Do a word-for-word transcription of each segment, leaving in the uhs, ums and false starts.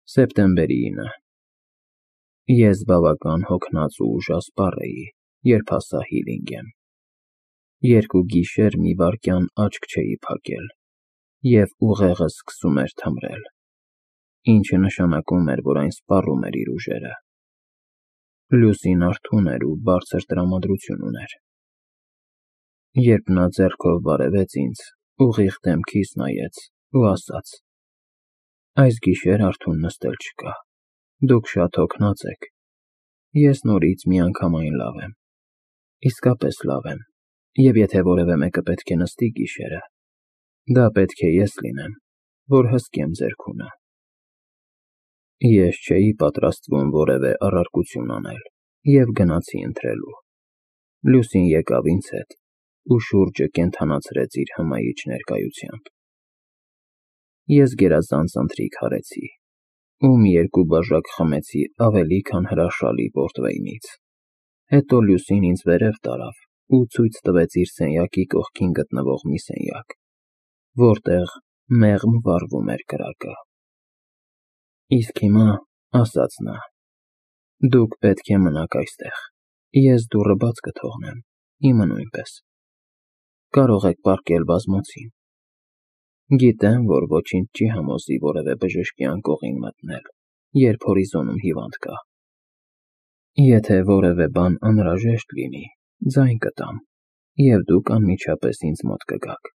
Սեպտեմբերի ինը Ես բավական հոգնած ու ուժասպառ էի, երբ հասա Հիլինգեմ։ Երկու գիշեր մի վայրկյան աչք չէի փակել, և ուղեղս սկսում էր թմրել, ինչը նշանակում էր, որ այն սպառում էր իր ուժերը։ Լուսին արթուն էր ու բարձր տրամադրություն ուներ։ Երբ նա ձեռքով բարևեց ինձ, ուղիղ դեմքիս նայեց ու ասաց. «Այս գիշեր արթուն նստել չկա, դուք շատ հոգնած եք, ես նորից միանգամայն լավ եմ, իսկապես լավ եմ, և եթե որևէ մեկը պետք է նստի գիշերը, դա պետք է ես լինեմ, որ հսկեմ ձեր քունը»։ Ես չէի պատրաստվում որևէ առարկություն անել և գնացի ընթրելու։ Լուսին եկավ ինձ հետ ու շուրջը կենդանացրեց իր հմայիչ ներկայությամբ։ Ես գերազանց ընթրիք արեցի ու մի երկու բաժակ խմեցի ավելի քան հրաշալի պորտվեյնից, հետո Լուսին ինձ վերև տարավ ու ցույց տվեց իր սենյակի կողքին գտնվող մի սենյակ, որտեղ մեղմ վառվում էր կրակը։ «Իսկ հիմա, — ասաց նա, — դուք պետք է մնաք այստեղ, ես դուռը բաց կթողնեմ, իմը նույնպես, կարող եք պառկել բազմոցին։ Գիտեմ, որ ոչինչ չի համոզի որևէ բժշկի անկողին մտնել, երբ հորիզոնում հիվանդ կա։ Եթե որևէ բան անհրաժեշտ լինի, ձայն կտամ, և դուք անմիջապես ինձ մոտ կգաք»։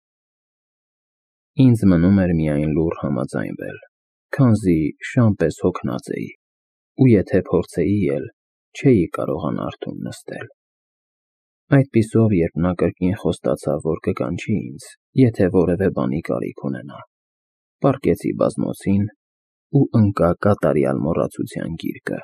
Ինձ մնում էր միայն լուռ համաձայնվել, քանզի շան պես հոգնած էի, ու եթե փորձեի էլ, չէի կարողանա արթուն նստել։ Այդպիսով, երբ նա կրկին խոստացավ, որ կկանչի ինձ, եթե որևէ բանի կարիք ունենա, պառկեցի բազմոցին ու ընկա կատարյալ մոռացության գիրկը։